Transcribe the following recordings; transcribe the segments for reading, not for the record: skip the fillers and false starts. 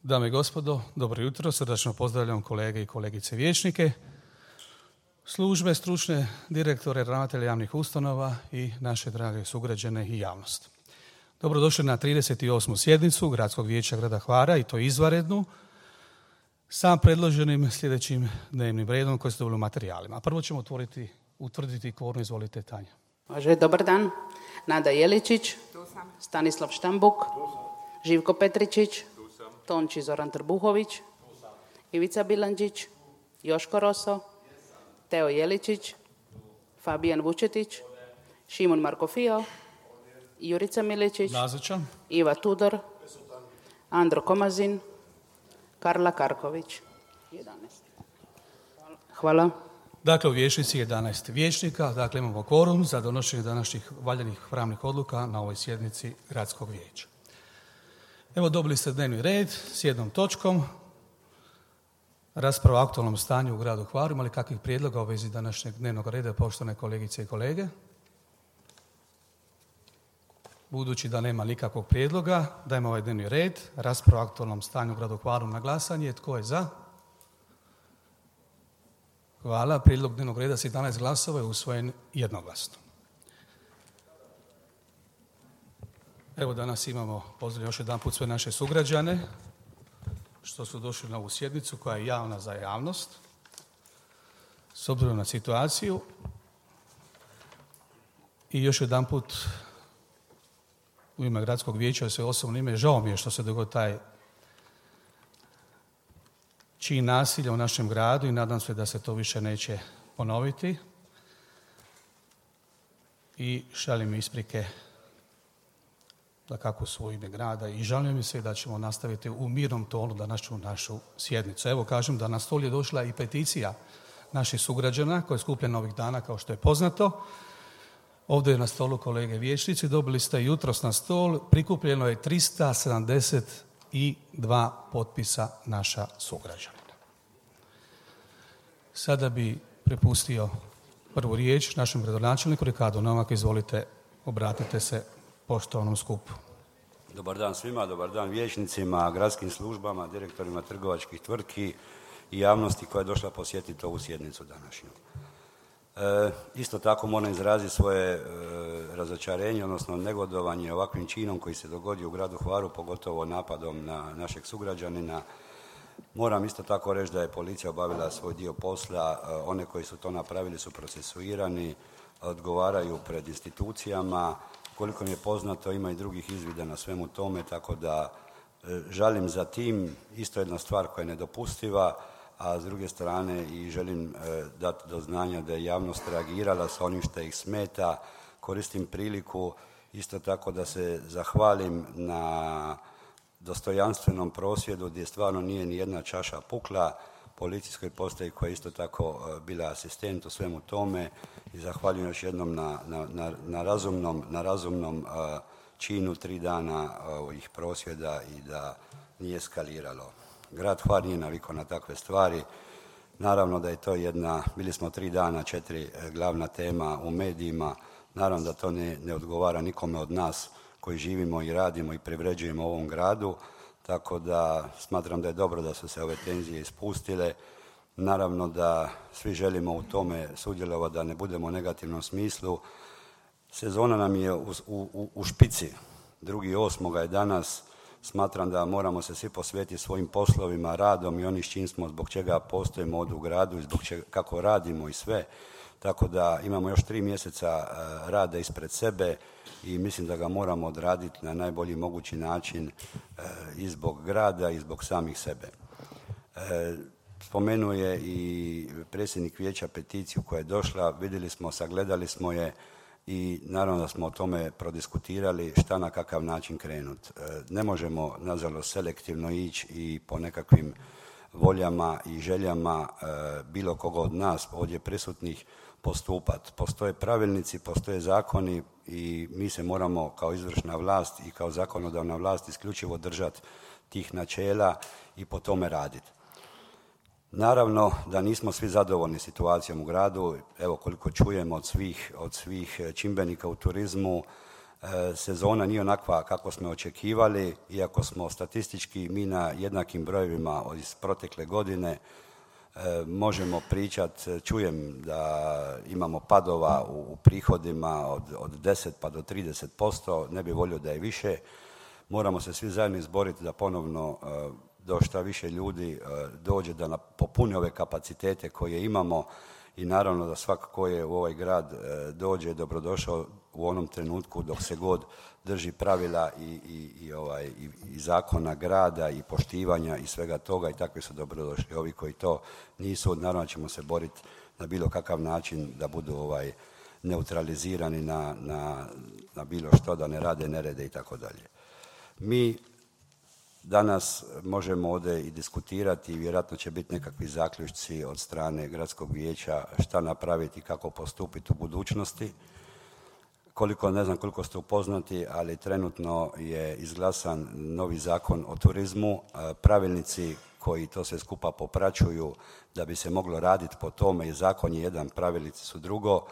Dame i gospodo, dobro jutro, srdačno pozdravljam kolege i kolegice vijećnike, službe, stručne direktore, ravnatelje javnih ustanova i naše drage sugrađane i javnost. Dobrodošli na 38. sjednicu Gradskog vijeća grada Hvara i to izvanrednu sa predloženim sljedećim dnevnim redom koji ste dobili u materijalima. Prvo ćemo utvrditi kvorum. Izvolite, Tanja. Može, dobar dan. Nada Jeličić, Stanislav Štambuk, Živko Petričić, Tonči Zoran Trbuhović, Ivica Bilandžić, Joško Roso, Teo Jeličić, Fabijan Vučetić, Šimon Markofio, Jurica Miličić, Nazočan. Iva Tudor, Andro Komazin, Karla Karković. 11. Hvala. Dakle, u vijećnici 11 vijećnika, dakle imamo kvorum za donošenje današnjih valjanih pravnih odluka na ovoj sjednici Gradskog vijeća. Evo, dobili ste dnevni red s jednom točkom, rasprava o aktualnom stanju u gradu Hvaru. Ima li kakvih prijedloga u vezi današnjeg dnevnog reda, poštovane kolegice i kolege? Budući da nema nikakvog prijedloga, dajemo ovaj dnevni red, rasprava o aktualnom stanju u gradu Hvaru na glasanje. Tko je za? Hvala. Prijedlog dnevnog reda s 11 glasova je usvojen jednoglasno. Evo, danas imamo, pozdravljam još jedan put sve naše sugrađane što su došli na ovu sjednicu koja je javna za javnost. S obzirom na situaciju i još jedan put u ime Gradskog vijeća, sve osobno ime, žao mi je što se dogodio taj čin nasilja u našem gradu i nadam se da se to više neće ponoviti. I šalim isprike da kako su u ime grada i žalim se da ćemo nastaviti u mirnom tonu današnju našu sjednicu. Evo, kažem da na stol je došla i peticija naših sugrađana koja je skupljena ovih dana, kao što je poznato. Ovdje je na stolu kolege vijećnici, dobili ste jutros na stol, prikupljeno je 372 potpisa naša sugrađanina. Sada bi prepustio prvu riječ našem gradonačelniku Ricardu Novaku. Izvolite, obratite se poštovanom skupu. Dobar dan svima, dobar dan vijećnicima, gradskim službama, direktorima trgovačkih tvrtki i javnosti koja je došla posjetiti ovu sjednicu današnju. Isto tako moram izraziti svoje razočarenje, odnosno negodovanje ovakvim činom koji se dogodio u gradu Hvaru, pogotovo napadom na našeg sugrađanina. Moram isto tako reći da je policija obavila svoj dio posla, one koji su to napravili su procesuirani, odgovaraju pred institucijama. Koliko mi je poznato, ima i drugih izvida na svemu tome, tako da žalim za tim. Isto jedna stvar koja je nedopustiva, a s druge strane i želim dati do znanja da je javnost reagirala sa onim što ih smeta. Koristim priliku isto tako da se zahvalim na dostojanstvenom prosvjedu gdje stvarno nije ni jedna čaša pukla, policijskoj postaji koja je isto tako bila asistent u svemu tome i zahvaljujem još jednom na razumnom činu 3 dana ovih prosvjeda i da nije eskaliralo. Grad Hvar nije navikao na takve stvari. Naravno da je to bili smo 3 dana, 4 glavna tema u medijima. Naravno da to ne odgovara nikome od nas koji živimo i radimo i privređujemo u ovom gradu. Tako da smatram da je dobro da su se ove tenzije ispustile. Naravno da svi želimo u tome sudjelovati, da ne budemo u negativnom smislu. Sezona nam je u špici. 2.8. je danas. Smatram da moramo se svi posvetiti svojim poslovima, radom i onim s čim smo, zbog čega postojimo ovdje u gradu i zbog čega, kako radimo i sve. Tako da imamo još 3 mjeseca rada ispred sebe i mislim da ga moramo odraditi na najbolji mogući način i zbog grada i zbog samih sebe. Spomenuo je i predsjednik vijeća peticiju koja je došla, vidjeli smo, sagledali smo je i naravno da smo o tome prodiskutirali šta na kakav način krenuti. Ne možemo, nažalost, selektivno ići i po nekakvim voljama i željama bilo koga od nas ovdje prisutnih postupati. Postoje pravilnici, postoje zakoni i mi se moramo kao izvršna vlast i kao zakonodavna vlast isključivo držati tih načela i po tome raditi. Naravno da nismo svi zadovoljni situacijom u gradu. Evo, koliko čujemo od svih čimbenika u turizmu, Sezona nije onakva kako smo očekivali, iako smo statistički mi na jednakim brojevima iz protekle godine. Možemo pričati, čujem da imamo padova u prihodima od 10 pa do 30%, ne bi volio da je više. Moramo se svi zajedno izboriti da ponovno do šta više ljudi dođe da popuni ove kapacitete koje imamo i naravno da svako ko je u ovaj grad dođe dobrodošao u onom trenutku dok se god drži pravila i zakona grada i poštivanja i svega toga i takvi su dobrodošli. Ovi koji to nisu, naravno ćemo se boriti na bilo kakav način da budu neutralizirani na bilo što, da ne rade nerede i tako dalje. Mi danas možemo ovdje i diskutirati i vjerojatno će biti nekakvi zaključci od strane gradskog vijeća šta napraviti i kako postupiti u budućnosti. Ne znam koliko ste upoznati, ali trenutno je izglasan novi zakon o turizmu, pravilnici koji to sve skupa popraćuju da bi se moglo raditi po tome i zakon je jedan, pravilnici su drugo,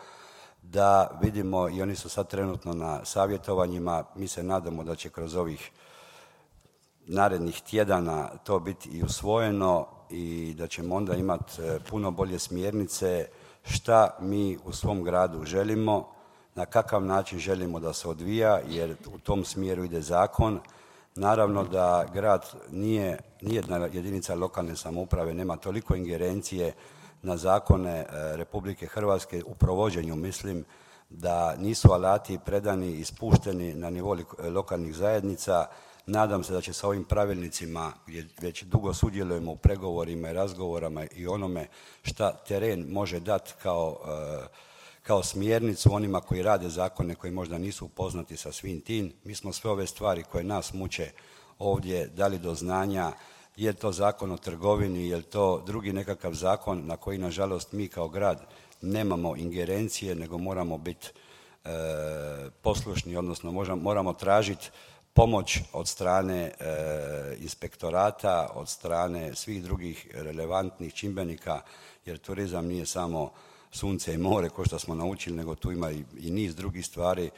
da vidimo i oni su sad trenutno na savjetovanjima, mi se nadamo da će kroz ovih narednih tjedana to biti i usvojeno i da ćemo onda imati puno bolje smjernice šta mi u svom gradu želimo, na kakav način želimo da se odvija, jer u tom smjeru ide zakon. Naravno da grad nijedna jedinica lokalne samouprave nema toliko ingerencije na zakone Republike Hrvatske u provođenju, mislim da nisu alati predani i spušteni na nivou lokalnih zajednica. Nadam se da će sa ovim pravilnicima, gdje već dugo sudjelujemo u pregovorima i razgovorima i onome šta teren može dati kao smjernicu onima koji rade zakone koji možda nisu upoznati sa svim tim. Mi smo sve ove stvari koje nas muče ovdje dali do znanja, je to zakon o trgovini, je to drugi nekakav zakon na koji nažalost mi kao grad nemamo ingerencije, nego moramo biti poslušni, odnosno moramo tražiti pomoć od strane inspektorata, od strane svih drugih relevantnih čimbenika, jer turizam nije samo sunce i more, kao što smo naučili, nego tu ima i niz drugih stvari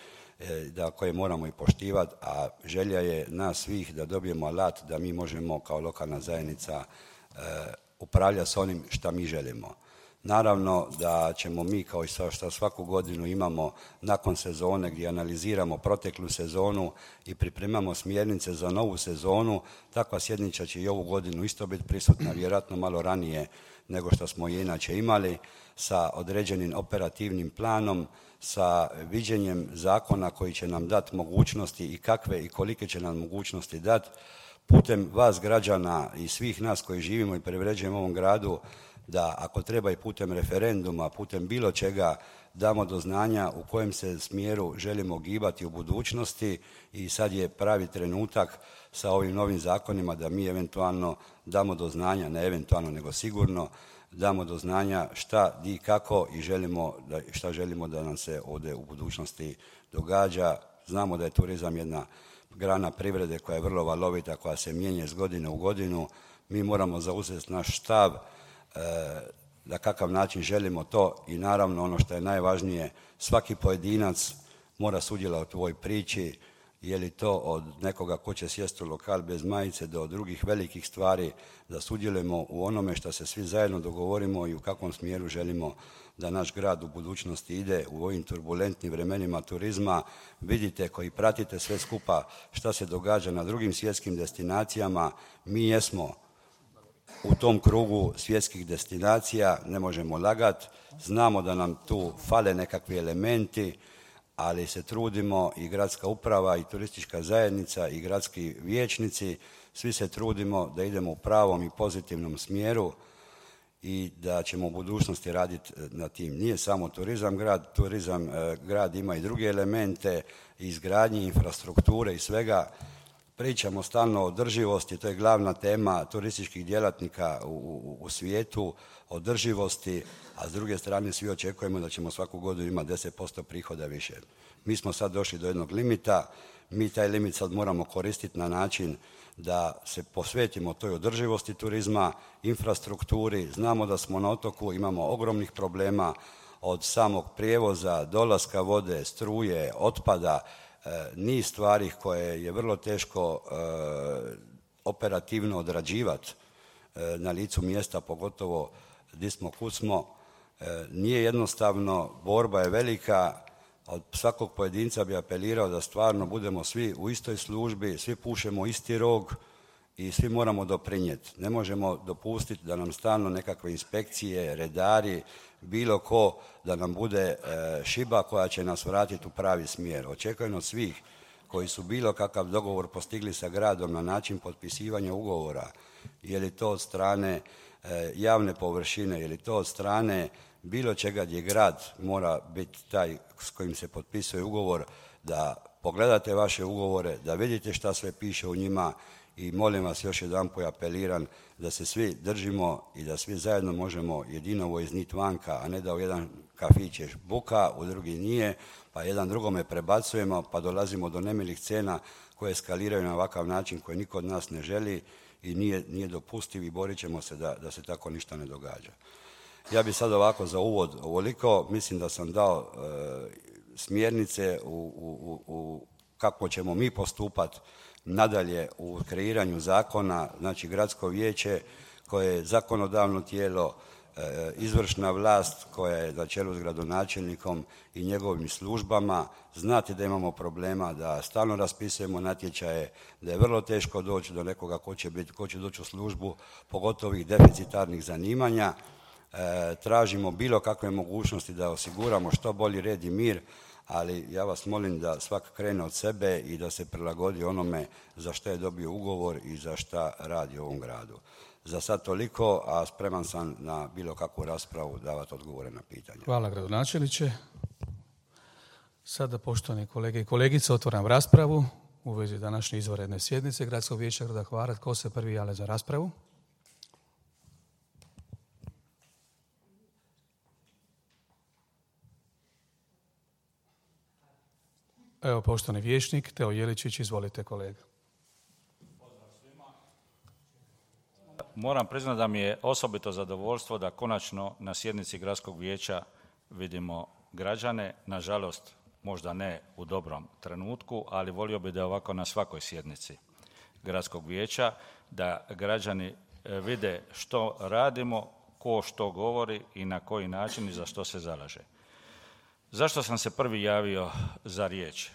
koje moramo i poštivati, a želja je nas svih da dobijemo alat da mi možemo kao lokalna zajednica upravljati s onim što mi želimo. Naravno da ćemo mi, kao i što svaku godinu imamo nakon sezone gdje analiziramo proteklu sezonu i pripremamo smjernice za novu sezonu, takva sjednica će i ovu godinu isto biti prisutna, vjerojatno malo ranije nego što smo je inače imali, sa određenim operativnim planom, sa viđenjem zakona koji će nam dati mogućnosti i kakve i kolike će nam mogućnosti dati, putem vas građana i svih nas koji živimo i privređujemo u ovom gradu, da ako treba i putem referenduma, putem bilo čega, damo do znanja u kojem se smjeru želimo gibati u budućnosti i sad je pravi trenutak sa ovim novim zakonima da mi eventualno damo do znanja, ne eventualno nego sigurno, damo do znanja šta, di, kako i šta želimo da nam se ovdje u budućnosti događa. Znamo da je turizam jedna grana privrede koja je vrlo valovita, koja se mijenja iz godine u godinu. Mi moramo zauzeti naš stav na kakav način želimo to i naravno ono što je najvažnije, svaki pojedinac mora sudjelovati u ovoj priči, je li to od nekoga ko će sjesti u lokal bez majice do drugih velikih stvari, da sudjelujemo u onome što se svi zajedno dogovorimo i u kakvom smjeru želimo da naš grad u budućnosti ide u ovim turbulentnim vremenima turizma. Vidite koji pratite sve skupa šta se događa na drugim svjetskim destinacijama, mi jesmo u tom krugu svjetskih destinacija, ne možemo lagati, znamo da nam tu fale nekakvi elementi, ali se trudimo i gradska uprava i turistička zajednica i gradski vijećnici, svi se trudimo da idemo u pravom i pozitivnom smjeru i da ćemo u budućnosti raditi na tim. Nije samo turizam grad ima i druge elemente, izgradnje infrastrukture i svega. Pričamo stalno o održivosti, to je glavna tema turističkih djelatnika u svijetu, održivosti, a s druge strane svi očekujemo da ćemo svaku godinu imati 10% prihoda više. Mi smo sad došli do jednog limita, mi taj limit sad moramo koristiti na način da se posvetimo toj održivosti turizma, infrastrukturi. Znamo da smo na otoku, imamo ogromnih problema od samog prijevoza, dolaska vode, struje, otpada, niz stvari koje je vrlo teško operativno odrađivati na licu mjesta, pogotovo gdje smo kud smo. Nije jednostavno, borba je velika, od svakog pojedinca bi apelirao da stvarno budemo svi u istoj službi, svi pušemo isti rog i svi moramo doprinijeti. Ne možemo dopustiti da nam stalno nekakve inspekcije, redari, bilo ko da nam bude šiba koja će nas vratiti u pravi smjer. Očekujem od svih koji su bilo kakav dogovor postigli sa gradom na način potpisivanja ugovora, je li to od strane javne površine, je li to od strane bilo čega gdje grad mora biti taj s kojim se potpisuje ugovor, da pogledate vaše ugovore, da vidite šta sve piše u njima i molim vas još jedanput apeliram da se svi držimo i da svi zajedno možemo jedinovo izniti vanka, a ne da u jedan kafić je buka, u drugi nije, pa jedan drugome prebacujemo, pa dolazimo do nemilih scena koje eskaliraju na ovakav način koji niko od nas ne želi i nije dopustiv i borit ćemo se da se tako ništa ne događa. Ja bih sad ovako za uvod ovoliko, mislim da sam dao smjernice u kako ćemo mi postupati nadalje u kreiranju zakona, znači gradsko vijeće koje je zakonodavno tijelo, izvršna vlast koja je na čelu s gradonačelnikom i njegovim službama. Znate da imamo problema, da stalno raspisujemo natječaje, da je vrlo teško doći do nekoga ko će doći u službu, pogotovo ovih deficitarnih zanimanja. Tražimo bilo kakve mogućnosti da osiguramo što bolji red i mir, ali ja vas molim da svak krene od sebe i da se prilagodi onome za što je dobio ugovor i za šta radi u ovom gradu. Za sad toliko, a spreman sam na bilo kakvu raspravu davati odgovore na pitanje. Hvala gradonačelniče. Sada, poštovani kolege i kolegice, otvaram raspravu u vezi današnje izvanredne sjednice Gradskog vijeća grada Hvara. Tko se prvi javlja za raspravu? Evo, poštovani vijećnik Teo Jeličić, izvolite kolega. Moram priznati da mi je osobito zadovoljstvo da konačno na sjednici Gradskog vijeća vidimo građane, nažalost možda ne u dobrom trenutku, ali volio bi da je ovako na svakoj sjednici Gradskog vijeća, da građani vide što radimo, ko što govori i na koji način i za što se zalaže. Zašto sam se prvi javio za riječ?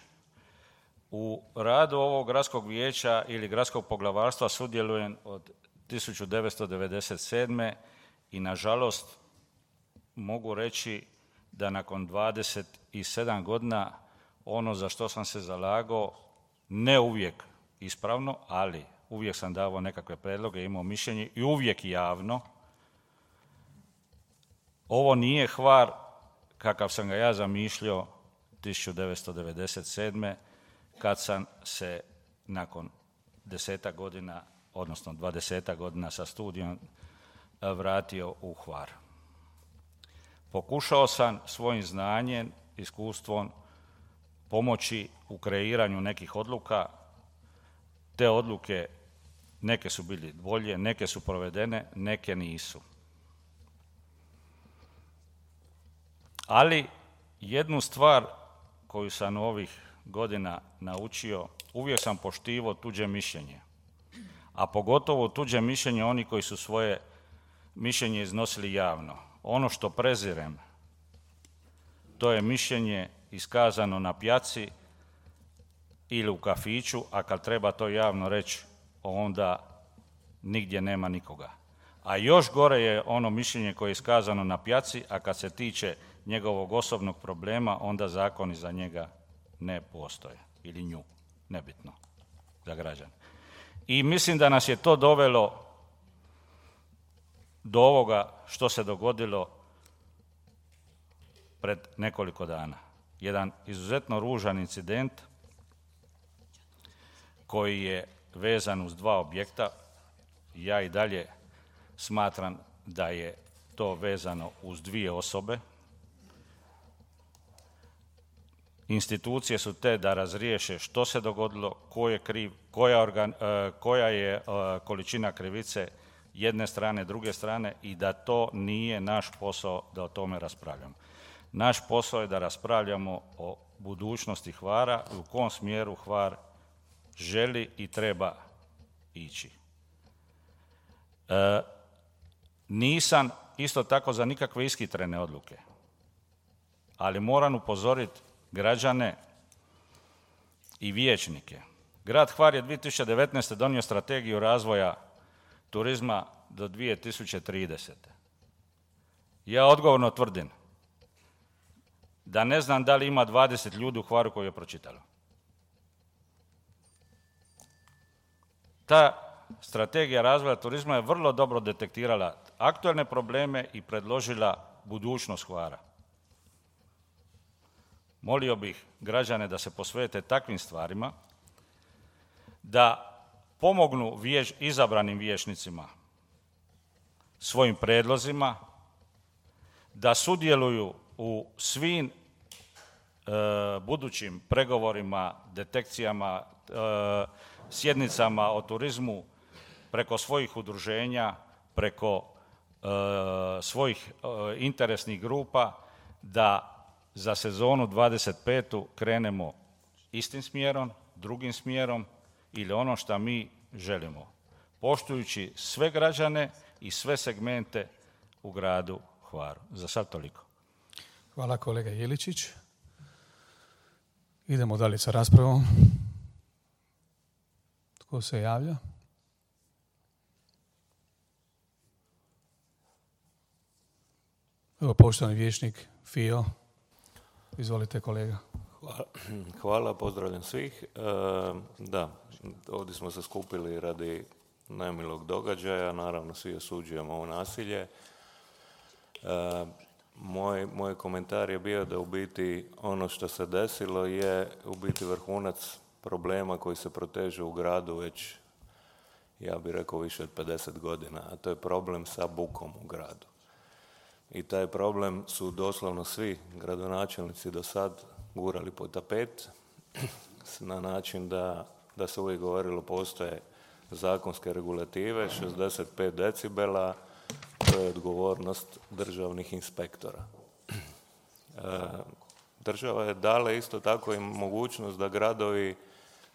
U radu ovog gradskog vijeća ili gradskog poglavarstva sudjelujem od 1997. i nažalost mogu reći da nakon 27 godina ono za što sam se zalagao, ne uvijek ispravno, ali uvijek sam davao nekakve predloge, imao mišljenje i uvijek javno. Ovo nije Hvar kakav sam ga ja zamišljao 1997. kad sam se nakon 10 godina, odnosno 20 godina sa studijom vratio u Hvar. Pokušao sam svojim znanjem, iskustvom pomoći u kreiranju nekih odluka. Te odluke, neke su bile bolje, neke su provedene, neke nisu. Ali jednu stvar koju sam ovih godina naučio, uvijek sam poštivao tuđe mišljenje, a pogotovo tuđe mišljenje oni koji su svoje mišljenje iznosili javno. Ono što prezirem, to je mišljenje iskazano na pjaci ili u kafiću, a kad treba to javno reći, onda nigdje nema nikoga. A još gore je ono mišljenje koje je iskazano na pjaci, a kad se tiče njegovog osobnog problema, onda zakoni za njega ne postoje, ili nju, nebitno, za građane. I mislim da nas je to dovelo do ovoga što se dogodilo pred nekoliko dana. Jedan izuzetno ružan incident koji je vezan uz 2 objekta. Ja i dalje smatram da je to vezano uz 2 osobe. Institucije su te da razriješe što se dogodilo, ko je kriv, koja je količina krivice jedne strane, druge strane i da to nije naš posao da o tome raspravljamo. Naš posao je da raspravljamo o budućnosti Hvara i u kom smjeru Hvar želi i treba ići. Nisam isto tako za nikakve ishitrene odluke, ali moram upozoriti građane i vijećnike. Grad Hvar je 2019. donio strategiju razvoja turizma do 2030. Ja odgovorno tvrdim da ne znam da li ima 20 ljudi u Hvaru koji je pročitalo. Ta strategija razvoja turizma je vrlo dobro detektirala aktualne probleme i predložila budućnost Hvara. Molio bih građane da se posvete takvim stvarima, da pomognu izabranim vijećnicima svojim prijedlozima, da sudjeluju u svim budućim pregovorima, detekcijama, sjednicama o turizmu preko svojih udruženja, preko svojih interesnih grupa, da za sezonu 25. krenemo istim smjerom, drugim smjerom ili ono što mi želimo, poštujući sve građane i sve segmente u gradu Hvaru. Za sad toliko. Hvala kolega Jeličić. Idemo dalje sa raspravom. Tko se javlja? Evo poštovani vijećnik Fio. Izvolite kolega. Hvala, pozdravljam svih. Da, ovdje smo se skupili radi nemilog događaja, naravno svi osuđujemo ovo nasilje. Moj komentar je bio da u biti ono što se desilo je u biti vrhunac problema koji se proteže u gradu već, ja bih rekao, više od 50 godina, a to je problem sa bukom u gradu. I taj problem su doslovno svi gradonačelnici do sad gurali pod tapet na način da se uvijek govorilo postoje zakonske regulative, 65 decibela, to je odgovornost državnih inspektora. Država je dala isto tako i mogućnost da gradovi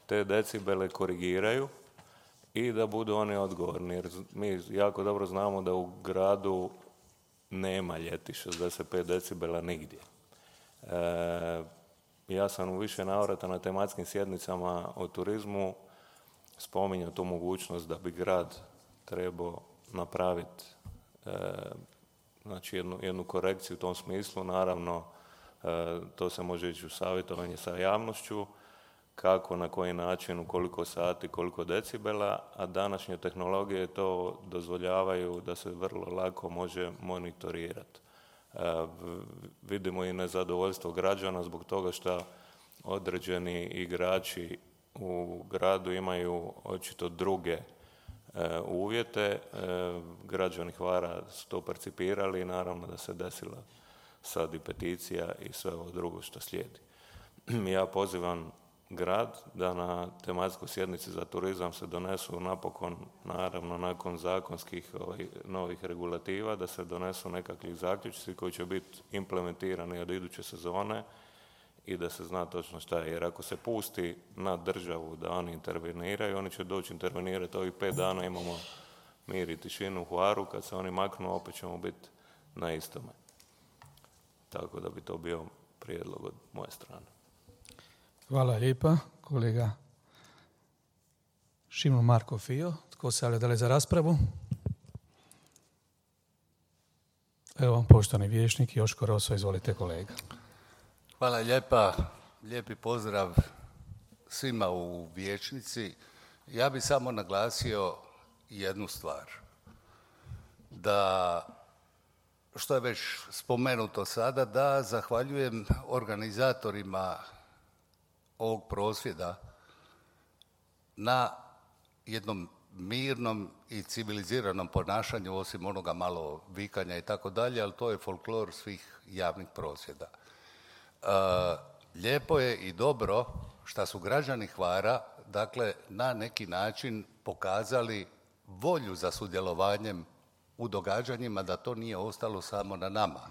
te decibele korigiraju i da budu oni odgovorni. Jer mi jako dobro znamo da u gradu nema ljeti 65 decibela nigdje. Ja sam u više navrata na tematskim sjednicama o turizmu spominjao tu mogućnost da bi grad trebao napraviti znači jednu korekciju u tom smislu. Naravno, to se može ići u savjetovanje sa javnošću, kako, na koji način, u koliko sati, koliko decibela, a današnje tehnologije to dozvoljavaju da se vrlo lako može monitorirati. Vidimo i nezadovoljstvo građana zbog toga što određeni igrači u gradu imaju očito druge uvjete. Građani Hvara su to percipirali i naravno da se desila sad i peticija i sve ovo drugo što slijedi. Ja pozivam grad da na tematskoj sjednici za turizam se donesu napokon, naravno nakon zakonskih novih regulativa, da se donesu nekakvi zaključci koji će biti implementirani od iduće sezone i da se zna točno šta je. Jer ako se pusti na državu da oni interveniraju, oni će doći intervenirati ovih 5 dana, imamo mir i tišinu u Hvaru, kad se oni maknu opet ćemo biti na istome. Tako da bi to bio prijedlog od moje strane. Hvala lijepa, kolega Šimon Marko Fio. Tko se javlja dalje za raspravu? Evo, poštovani vijećnik Joško Roso, izvolite kolega. Hvala lijepa, lijepi pozdrav svima u vijećnici. Ja bih samo naglasio jednu stvar, da, što je već spomenuto sada, da zahvaljujem organizatorima ovog prosvjeda na jednom mirnom i civiliziranom ponašanju, osim onoga malo vikanja i tako dalje, ali to je folklor svih javnih prosvjeda. Lijepo je i dobro što su građani Hvara, dakle, na neki način pokazali volju za sudjelovanjem u događanjima, da to nije ostalo samo na nama.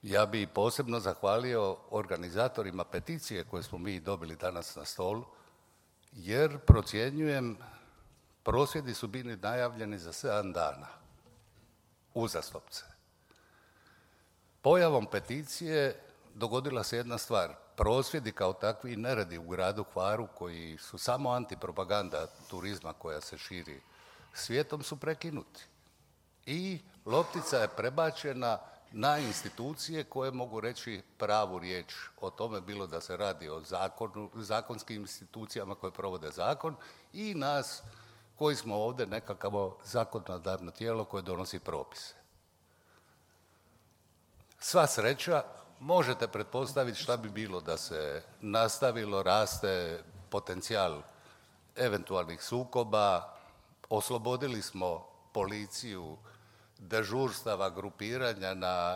Ja bi posebno zahvalio organizatorima peticije koje smo mi dobili danas na stolu, jer procjenjujem, prosvjedi su bili najavljeni za 7 dana, uzastopce. Pojavom peticije dogodila se jedna stvar. Prosvjedi kao takvi neredi u gradu Hvaru, koji su samo antipropaganda turizma koja se širi svijetom, su prekinuti. I loptica je prebačena na institucije koje mogu reći pravu riječ o tome, bilo da se radi o zakonskim institucijama koje provode zakon i nas koji smo ovdje nekakvo zakonodavno tijelo koje donosi propise. Sva sreća, možete pretpostaviti šta bi bilo da se nastavilo, raste potencijal eventualnih sukoba, oslobodili smo policiju dežurstava, grupiranja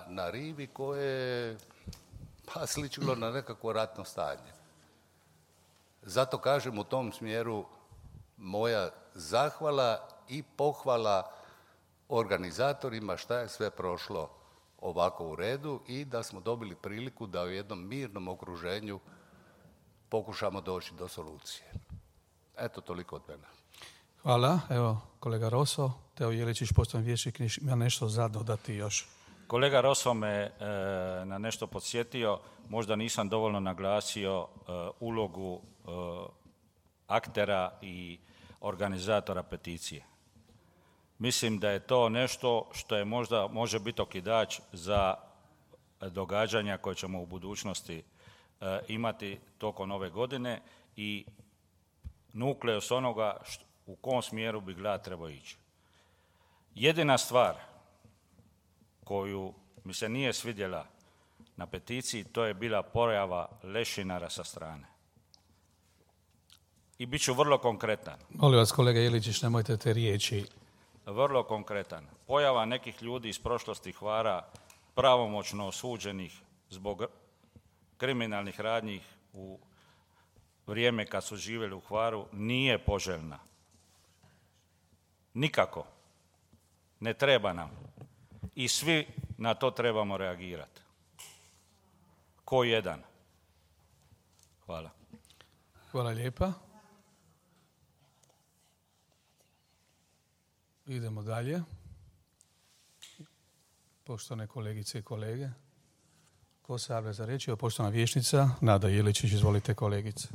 na rivi koje je sličilo na nekakvo ratno stanje. Zato kažem u tom smjeru moja zahvala i pohvala organizatorima šta je sve prošlo ovako u redu i da smo dobili priliku da u jednom mirnom okruženju pokušamo doći do solucije. Eto, toliko od mene. Hvala. Evo, kolega Roso, Teo Jeličić, poštovani vijećnik, ima nešto za dodati još. Kolega Roso me na nešto podsjetio, možda nisam dovoljno naglasio ulogu aktera i organizatora peticije. Mislim da je to nešto što je možda može biti okidač za događanja koje ćemo u budućnosti imati tokom ove godine i nukleus onoga u kom smjeru bi grad trebao ići. Jedina stvar koju mi se nije svidjela na peticiji, to je bila pojava lešinara sa strane. I bit ću vrlo konkretan. Molim vas, kolega Jeličić, nemojte te riječi. Vrlo konkretan. Pojava nekih ljudi iz prošlosti Hvara, pravomoćno osuđenih zbog kriminalnih radnji u vrijeme kad su živjeli u Hvaru, nije poželjna. Nikako. Ne treba nam. I svi na to trebamo reagirati. Ko jedan. Hvala. Hvala lijepa. Idemo dalje. Poštovane kolegice i kolege, ko se javlja za riječ? Poštovana vijećnica Nada Jeličić, izvolite kolegice.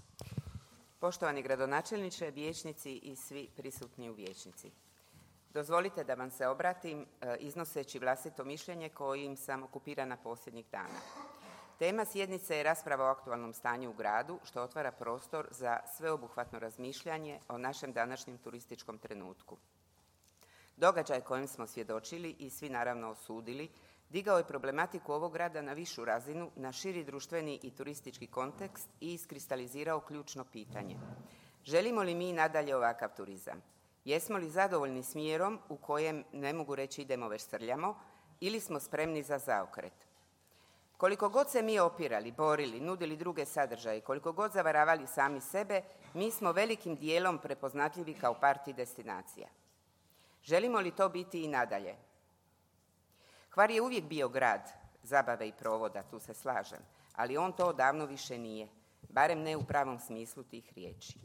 Poštovani gradonačelniče, vijećnici i svi prisutni u vijećnici. Dozvolite da vam se obratim iznoseći vlastito mišljenje kojim sam okupirana posljednjih dana. Tema sjednice je rasprava o aktualnom stanju u gradu, što otvara prostor za sveobuhvatno razmišljanje o našem današnjem turističkom trenutku. Događaj kojem smo svjedočili i svi naravno osudili, digao je problematiku ovog grada na višu razinu, na širi društveni i turistički kontekst i iskristalizirao ključno pitanje. Želimo li mi nadalje ovakav turizam? Jesmo li zadovoljni smjerom u kojem, ne mogu reći idemo već srljamo, ili smo spremni za zaokret? Koliko god se mi opirali, borili, nudili druge sadržaje, koliko god zavaravali sami sebe, mi smo velikim dijelom prepoznatljivi kao parti destinacija. Želimo li to biti i nadalje? Hvar je uvijek bio grad zabave i provoda, tu se slažem, ali on to odavno više nije, barem ne u pravom smislu tih riječi.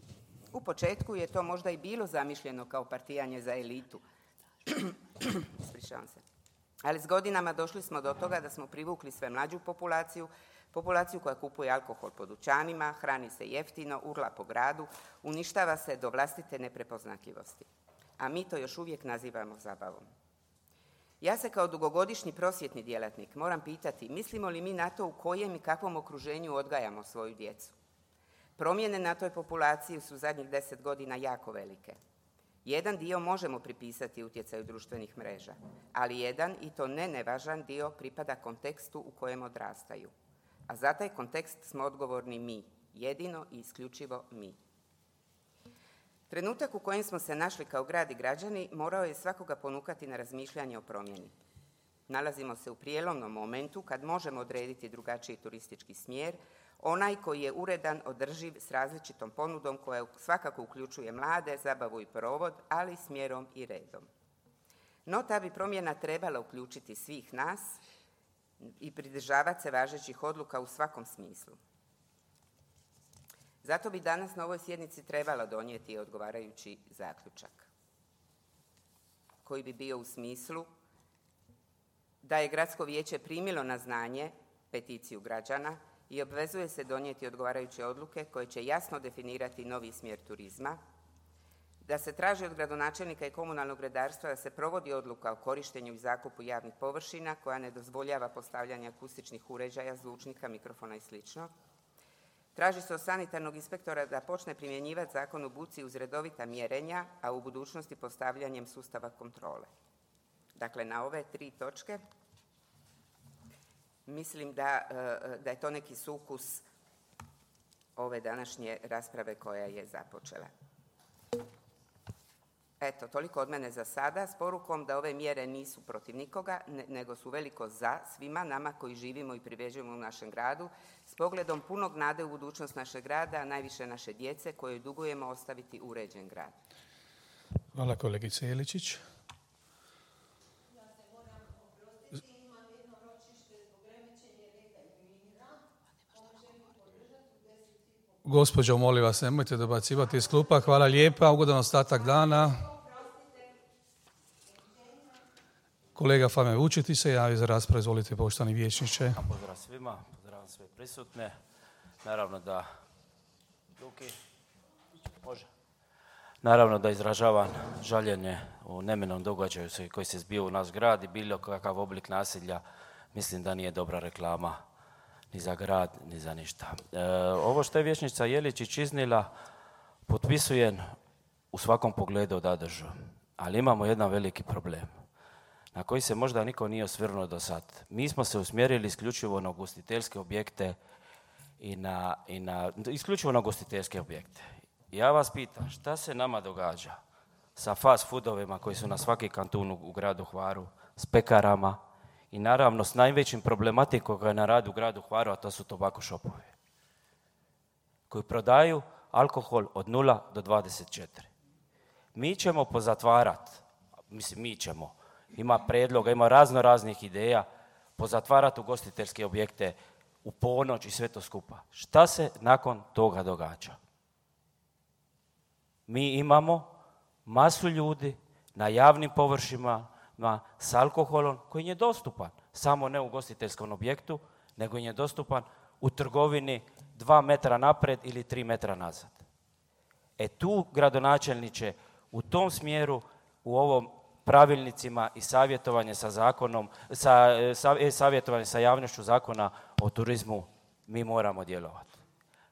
U početku je to možda i bilo zamišljeno kao partijanje za elitu. Ispričavam se. Ali s godinama došli smo do toga da smo privukli sve mlađu populaciju koja kupuje alkohol po dućanima, hrani se jeftino, urla po gradu, uništava se do vlastite neprepoznatljivosti. A mi to još uvijek nazivamo zabavom. Ja se kao dugogodišnji prosvjetni djelatnik moram pitati, mislimo li mi na to u kojem i kakvom okruženju odgajamo svoju djecu? Promjene na toj populaciji su zadnjih 10 godina jako velike. Jedan dio možemo pripisati utjecaju društvenih mreža, ali jedan, i to ne nevažan dio, pripada kontekstu u kojem odrastaju. A za taj kontekst smo odgovorni mi, jedino i isključivo mi. Trenutak u kojem smo se našli kao grad i građani morao je svakoga ponukati na razmišljanje o promjeni. Nalazimo se u prijelomnom momentu kad možemo odrediti drugačiji turistički smjer, onaj koji je uredan, održiv, s različitom ponudom koja svakako uključuje mlade, zabavu i provod, ali s mjerom i redom. No, ta bi promjena trebala uključiti svih nas i pridržavati se važećih odluka u svakom smislu. Zato bi danas na ovoj sjednici trebalo donijeti odgovarajući zaključak koji bi bio u smislu da je Gradsko vijeće primilo na znanje peticiju građana i obvezuje se donijeti odgovarajuće odluke koje će jasno definirati novi smjer turizma, da se traži od gradonačelnika i komunalnog redarstva da se provodi odluka o korištenju i zakupu javnih površina koja ne dozvoljava postavljanje akustičnih uređaja, zvučnika, mikrofona i sl. Traži se od sanitarnog inspektora da počne primjenjivati zakon o buci uz redovita mjerenja, a u budućnosti postavljanjem sustava kontrole. Dakle, na ove 3 točke mislim da je to neki sukus ove današnje rasprave koja je započela. Eto, toliko od mene za sada, s porukom da ove mjere nisu protiv nikoga, nego su veliko za svima nama koji živimo i privređujemo u našem gradu, s pogledom punog nade u budućnost našeg grada, a najviše naše djece kojoj dugujemo ostaviti uređen grad. Hvala kolegice Jeličić. Gospođo, molim vas, nemojte dobacivati iz klupa. Hvala lijepa, ugodan ostatak dana. Kolega Fame Vučetić se javi za raspravu, izvolite poštovani vijećniče. Pozdrav svima, pozdrav sve prisutne. Naravno da Naravno da izražavam žaljenje u neminom događaju koji se zbio u naš grad i bilo kakav oblik nasilja, mislim da nije dobra reklama ni za grad, ni za ništa. Ovo što je vijećnica Jeličić iznila, potpisujem u svakom pogledu da držu, ali imamo jedan veliki problem na koji se možda niko nije osvrnuo do sad. Mi smo se usmjerili isključivo na ugostiteljske objekte isključivo na ugostiteljske objekte. Ja vas pitam, šta se nama događa sa fast foodovima koji su na svaki kantun u gradu Hvaru, s pekarama i naravno s najvećim problematikom koja je na radu u gradu Hvaru, a to su tobako šopovi, koji prodaju alkohol od 0 do 24. Mi ćemo pozatvarati, ima predloga, ima raznih ideja, pozatvarati ugostiteljske objekte u ponoć i sve to skupa. Šta se nakon toga događa? Mi imamo masu ljudi na javnim površinama s alkoholom koji je dostupan, samo ne u ugostiteljskom objektu, nego je dostupan u trgovini 2 metra napred ili 3 metra nazad. Tu, gradonačelniče, u tom smjeru, u ovom pravilnicima i savjetovanje sa zakonom, savjetovanje sa javnošću zakona o turizmu, mi moramo djelovati.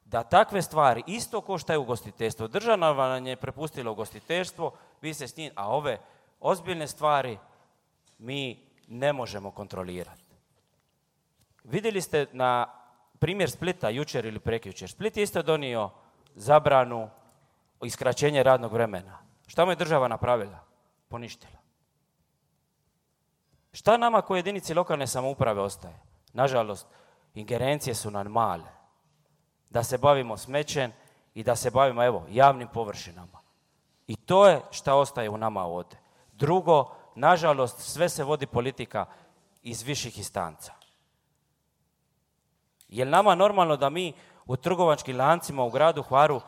Da takve stvari, isto ko što je ugostiteljstvo, država nam je prepustila ugostiteljstvo, vi se s njim, a ove ozbiljne stvari mi ne možemo kontrolirati. Vidjeli ste na primjer Splita jučer ili prekjučer. Split je isto donio zabranu iskraćenje radnog vremena. Šta mu je država napravila? Poništila. Šta nama kao jedinici lokalne samouprave ostaje? Nažalost, ingerencije su nam male. Da se bavimo smećem i da se bavimo, javnim površinama. I to je šta ostaje u nama ovdje. Drugo, nažalost, sve se vodi politika iz viših instanca. Je li nama normalno da mi u trgovačkim lancima u gradu Hvaru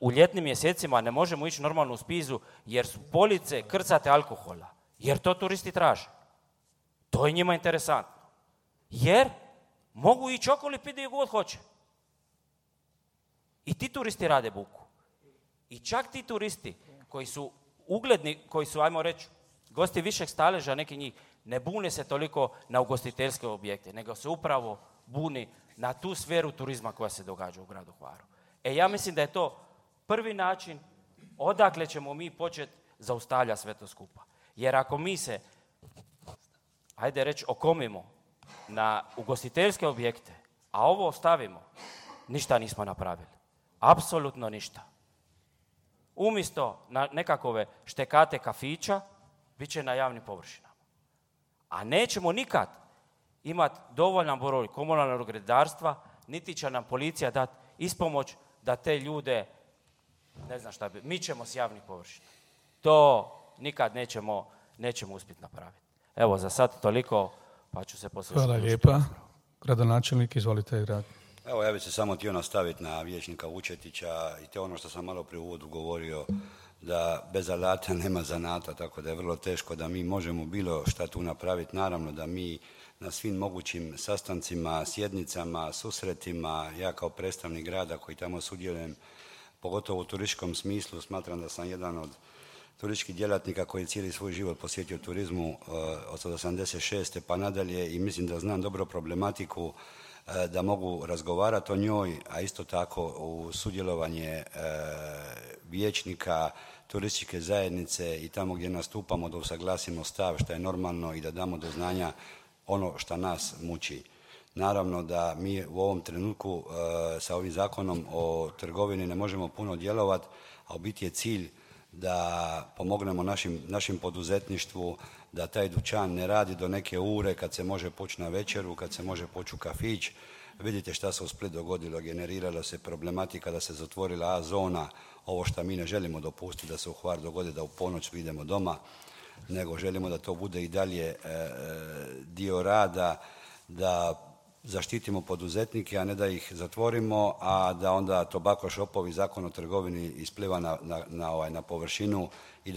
u ljetnim mjesecima ne možemo ići normalno u spizu jer su police krcate alkohola? Jer to turisti traže. To je njima interesantno. Jer mogu ići okolo piti gdje god hoće. I ti turisti rade buku. I čak ti turisti koji su ugledni, koji su, ajmo reći, gosti višeg staleža, neki njih, ne bune se toliko na ugostiteljske objekte, nego se upravo buni na tu sferu turizma koja se događa u gradu Hvaru. Ja mislim da je to prvi način odakle ćemo mi početi zaustavljati sve to skupa. Jer ako mi se, hajde reći, okomimo na ugostiteljske objekte, a ovo ostavimo, ništa nismo napravili. Apsolutno ništa. Umjesto na nekakove štekate kafića, bit će na javnim površinama. A nećemo nikad imati dovoljan broj komunalnog redarstva, niti će nam policija dati ispomoć da te ljude, ne znam šta bi, mi ćemo s javnih površina. To nikad nećemo uspjeti napraviti. Za sad toliko, pa ću se poslije... Hvala lijepa. Gradonačelnik, izvolite grad. Evo, ja bih se samo htio nastaviti na vijećnika Vučetića i to ono što sam malo prije u uvodu govorio, da bez alata nema zanata, tako da je vrlo teško da mi možemo bilo šta tu napraviti. Naravno da mi na svim mogućim sastancima, sjednicama, susretima, ja kao predstavnik grada koji tamo sudjelujem, pogotovo u turističkom smislu, smatram da sam jedan od turističkih djelatnika koji je cijeli svoj život posjetio turizmu od 86. pa nadalje i mislim da znam dobro problematiku, da mogu razgovarati o njoj, a isto tako u sudjelovanje vijećnika, turističke zajednice i tamo gdje nastupamo da usaglasimo stav što je normalno i da damo do znanja ono što nas muči. Naravno da mi u ovom trenutku sa ovim zakonom o trgovini ne možemo puno djelovati, a u biti je cilj da pomognemo našim poduzetništvu, da taj dućan ne radi do neke ure kad se može poći na večeru, kad se može poći u kafić. Vidite šta se u Split dogodilo, generirala se problematika da se zatvorila A zona, ovo što mi ne želimo dopustiti da se u Hvar dogodi da u ponoć idemo doma, nego želimo da to bude i dalje dio rada, da zaštitimo poduzetnike, a ne da ih zatvorimo, a da onda tobako šopovi, zakon o trgovini ispliva na površinu i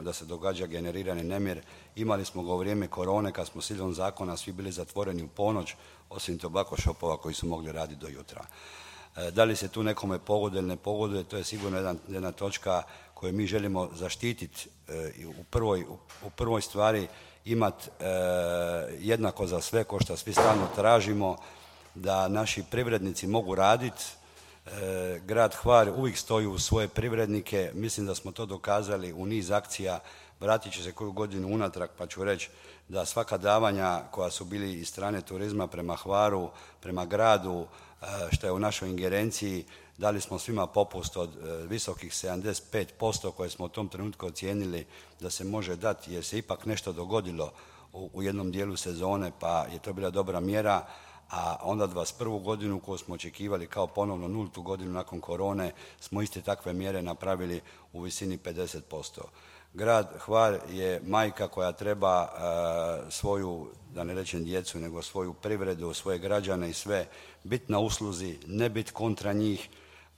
da se događa generirani nemir. Imali smo ga u vrijeme korone kad smo silom zakona svi bili zatvoreni u ponoć, osim tobako šopova koji su mogli raditi do jutra. Da li se tu nekome pogoduje ili ne pogoduje, to je sigurno jedna točka koju mi želimo zaštititi u prvoj stvari, imati jednako za sve, ko što svi stalno tražimo, da naši privrednici mogu raditi. Grad Hvar uvijek stoji uz svoje privrednike, mislim da smo to dokazali u niz akcija, vratit ću se koju godinu unatrag pa ću reći da svaka davanja koja su bili iz strane turizma prema Hvaru, prema gradu, što je u našoj ingerenciji, dali smo svima popust od visokih 75% koje smo u tom trenutku ocijenili da se može dati jer se ipak nešto dogodilo u jednom dijelu sezone pa je to bila dobra mjera, a onda 21. godinu koju smo očekivali kao ponovno 0. godinu nakon korone smo iste takve mjere napravili u visini 50%. Grad Hvar je majka koja treba svoju, da ne rečem djecu, nego svoju privredu, svoje građane i sve biti na usluzi, ne biti kontra njih.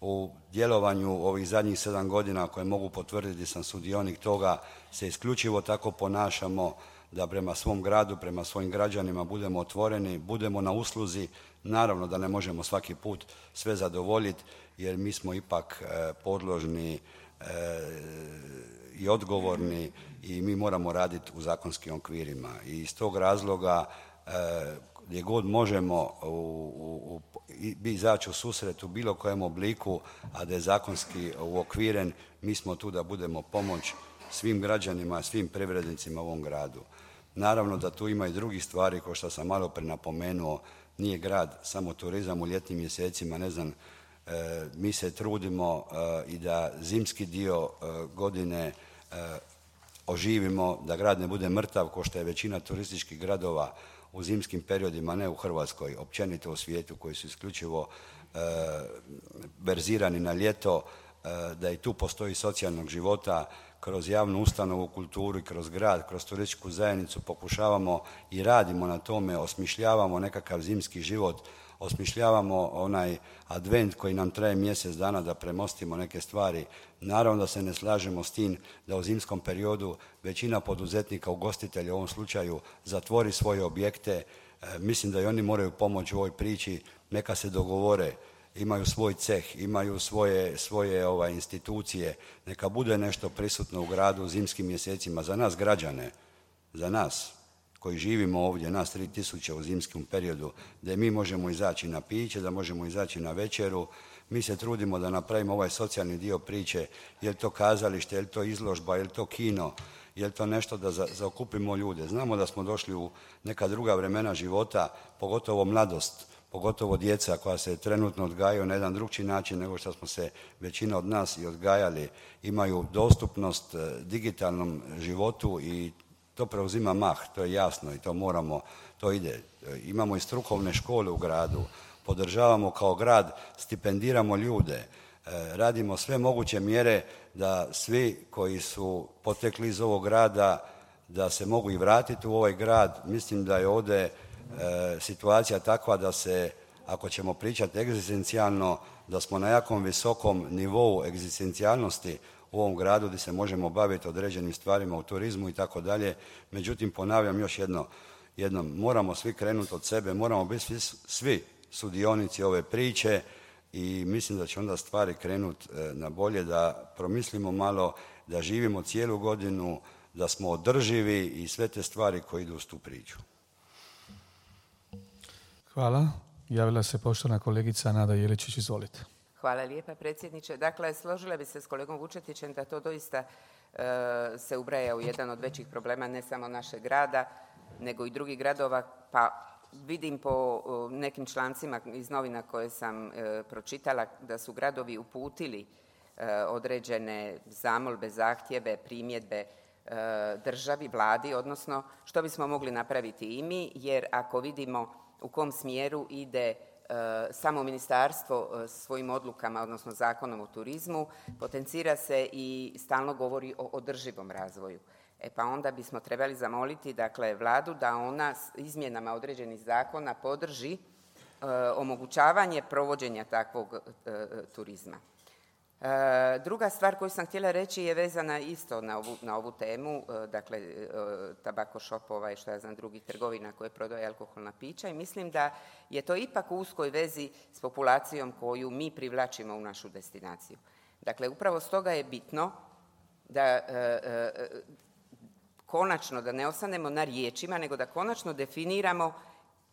U djelovanju ovih zadnjih 7 godina koje mogu potvrditi sam sudionik toga, se isključivo tako ponašamo da prema svom gradu, prema svojim građanima budemo otvoreni, budemo na usluzi. Naravno da ne možemo svaki put sve zadovoljiti jer mi smo ipak podložni i odgovorni i mi moramo raditi u zakonskim okvirima. I iz tog razloga gdje god možemo izaći u susret u bilo kojem obliku, a da je zakonski uokviren, mi smo tu da budemo pomoć svim građanima, svim privrednicima u ovom gradu. Naravno da tu ima i drugih stvari, kao što sam malo prije napomenuo, nije grad samo turizam u ljetnim mjesecima, ne znam, mi se trudimo i da zimski dio godine oživimo, da grad ne bude mrtav, kao što je većina turističkih gradova u zimskim periodima, ne u Hrvatskoj, općenito u svijetu, koji su isključivo verzirani na ljeto, da i tu postoji socijalnog života. Kroz javnu ustanovu, kulturu i kroz grad, kroz turističku zajednicu pokušavamo i radimo na tome, osmišljavamo nekakav zimski život, osmišljavamo onaj advent koji nam traje mjesec dana da premostimo neke stvari. Naravno da se ne slažemo s tim da u zimskom periodu većina poduzetnika, ugostitelja u ovom slučaju, zatvori svoje objekte. Mislim da i oni moraju pomoći u ovoj priči, neka se dogovore, imaju svoj ceh, imaju svoje institucije, neka bude nešto prisutno u gradu u zimskim mjesecima. Za nas građane, za nas koji živimo ovdje, nas 3000 u zimskom periodu, da mi možemo izaći na piće, da možemo izaći na večeru. Mi se trudimo da napravimo ovaj socijalni dio priče, je li to kazalište, je li to izložba, je li to kino, je li to nešto da zaokupimo ljude. Znamo da smo došli u neka druga vremena života, pogotovo mladost, pogotovo djeca koja se trenutno odgajaju na jedan drugčiji način nego što smo se većina od nas i odgajali, imaju dostupnost digitalnom životu i to preuzima mah, to je jasno i to moramo, to ide. Imamo i strukovne škole u gradu, podržavamo kao grad, stipendiramo ljude, radimo sve moguće mjere da svi koji su potekli iz ovog grada da se mogu i vratiti u ovaj grad. Mislim da je ovdje situacija takva da se, ako ćemo pričati egzistencijalno, da smo na jakom visokom nivou egzistencijalnosti u ovom gradu gdje se možemo baviti određenim stvarima u turizmu i tako dalje. Međutim, ponavljam još jednom, moramo svi krenuti od sebe, moramo biti svi sudionici ove priče i mislim da će onda stvari krenuti na bolje, da promislimo malo, da živimo cijelu godinu, da smo održivi i sve te stvari koje idu uz tu priču. Hvala. Javila se poštovana kolegica Nada Jeličić, izvolite. Hvala lijepa, predsjedniče. Dakle, složila bi se s kolegom Vučetićem da to doista se ubraja u jedan od većih problema ne samo našeg grada, nego i drugih gradova, pa vidim po nekim člancima iz novina koje sam pročitala da su gradovi uputili određene zamolbe, zahtjeve, primjedbe državi, vladi, odnosno što bismo mogli napraviti i mi, jer ako vidimo u kom smjeru ide samo ministarstvo svojim odlukama, odnosno Zakonom o turizmu, potencira se i stalno govori o održivom razvoju. Pa onda bismo trebali zamoliti, dakle, vladu da ona s izmjenama određenih zakona podrži omogućavanje provođenja takvog turizma. Druga stvar koju sam htjela reći je vezana isto na ovu temu, dakle, tabako shopova i što ja znam drugih trgovina koje prodaju alkoholna pića i mislim da je to ipak u uskoj vezi s populacijom koju mi privlačimo u našu destinaciju. Dakle, upravo stoga je bitno da konačno, da ne ostanemo na riječima, nego da konačno definiramo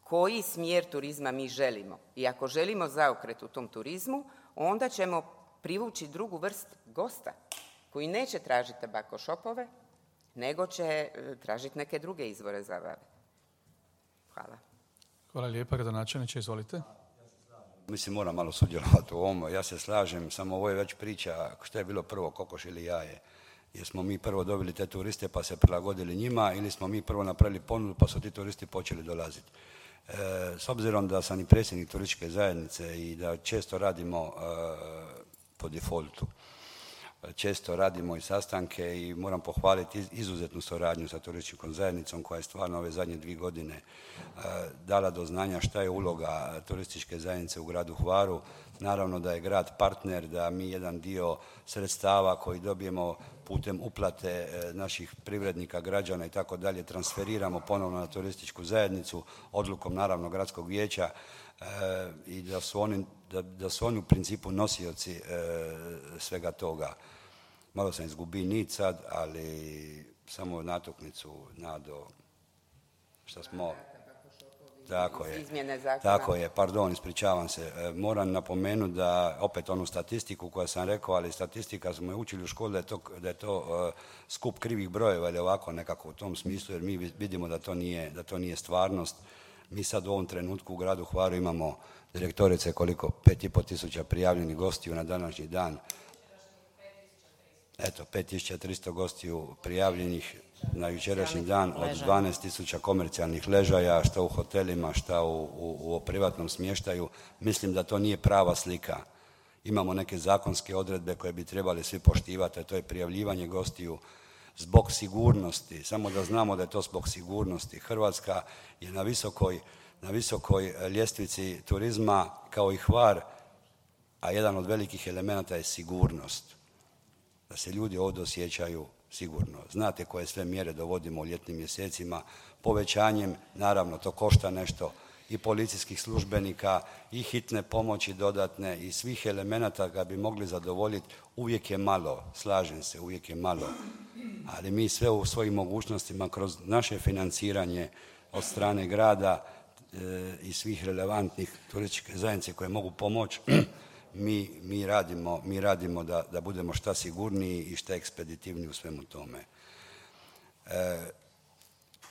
koji smjer turizma mi želimo. I ako želimo zaokret u tom turizmu, onda ćemo privući drugu vrst gosta koji neće tražiti tabako shopove, nego će tražiti neke druge izvore zabave. Hvala. Hvala lijepa, gradonačelniče, izvolite. Mislim, moram malo sudjelovati u ovom. Ja se slažem, samo ovo je već priča što je bilo prvo, kokoš ili jaje. Jer smo mi prvo dobili te turiste pa se prilagodili njima ili smo mi prvo napravili ponudu pa su ti turisti počeli dolaziti. S obzirom da sam i predsjednik turističke zajednice i da često radimo po defaultu, često radimo i sastanke i moram pohvaliti izuzetnu suradnju sa turističkom zajednicom koja je stvarno ove zadnje 2 godine dala do znanja šta je uloga turističke zajednice u gradu Hvaru. Naravno da je grad partner, da mi jedan dio sredstava koji dobijemo putem uplate naših privrednika, građana i tako dalje transferiramo ponovno na turističku zajednicu odlukom naravno gradskog vijeća i da su oni u principu nosioci svega toga. Malo sam izgubio nit sad, ali samo natuknicu, Nado, šta smo... Tako je, pardon, ispričavam se. Moram napomenuti da, opet onu statistiku koju sam rekao, ali statistika smo je učili u školi da je to skup krivih brojeva ili ovako nekako u tom smislu, jer mi vidimo da to nije stvarnost. Mi sad u ovom trenutku u gradu Hvaru imamo, direktorice, koliko? 5.500 prijavljenih gostiju na današnji dan. Eto, 5.300 gostiju prijavljenih na jučerašnji dan od 12.000 komercijalnih ležaja, šta u hotelima, šta u privatnom smještaju. Mislim da to nije prava slika. Imamo neke zakonske odredbe koje bi trebali svi poštivati, a to je prijavljivanje gostiju zbog sigurnosti. Samo da znamo da je to zbog sigurnosti. Hrvatska je na visokoj ljestvici turizma kao i Hvar, a jedan od velikih elemenata je sigurnost. Da se ljudi ovdje osjećaju sigurno. Znate koje sve mjere dovodimo u ljetnim mjesecima, povećanjem, naravno to košta nešto, i policijskih službenika, i hitne pomoći dodatne, i svih elemenata ga bi mogli zadovoljiti. Uvijek je malo, slažem se, uvijek je malo, ali mi sve u svojim mogućnostima kroz naše financiranje od strane grada i svih relevantnih turističke zajednice koje mogu pomoći, mi radimo da budemo šta sigurniji i šta ekspeditivniji u svemu tome.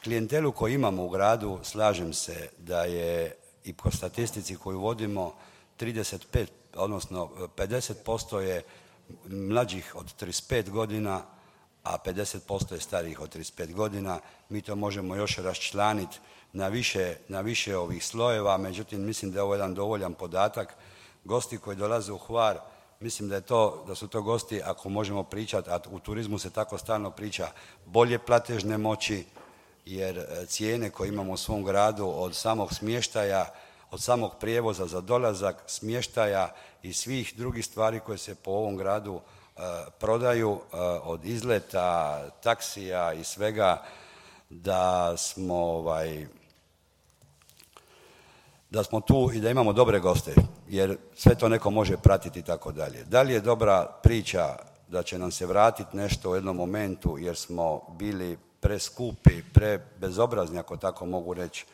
Klijentelu koju imamo u gradu, slažem se da je i po statistici koju vodimo 35, odnosno 50% je mlađih od 35 godina, a 50% je starijih od 35 godina. Mi to možemo još raščlaniti na više ovih slojeva, međutim mislim da je ovo jedan dovoljan podatak. Gosti koji dolaze u Hvar, Mislim da su to gosti, ako možemo pričati, a u turizmu se tako stalno priča, bolje platežne moći, jer cijene koje imamo u svom gradu od samog smještaja, od samog prijevoza za dolazak, smještaja i svih drugih stvari koje se po ovom gradu prodaju, od izleta, taksija i svega, da smo tu i da imamo dobre goste, jer sve to neko može pratiti i tako dalje. Da li je dobra priča da će nam se vratiti nešto u jednom momentu jer smo bili preskupi, prebezobrazni, ako tako mogu reći,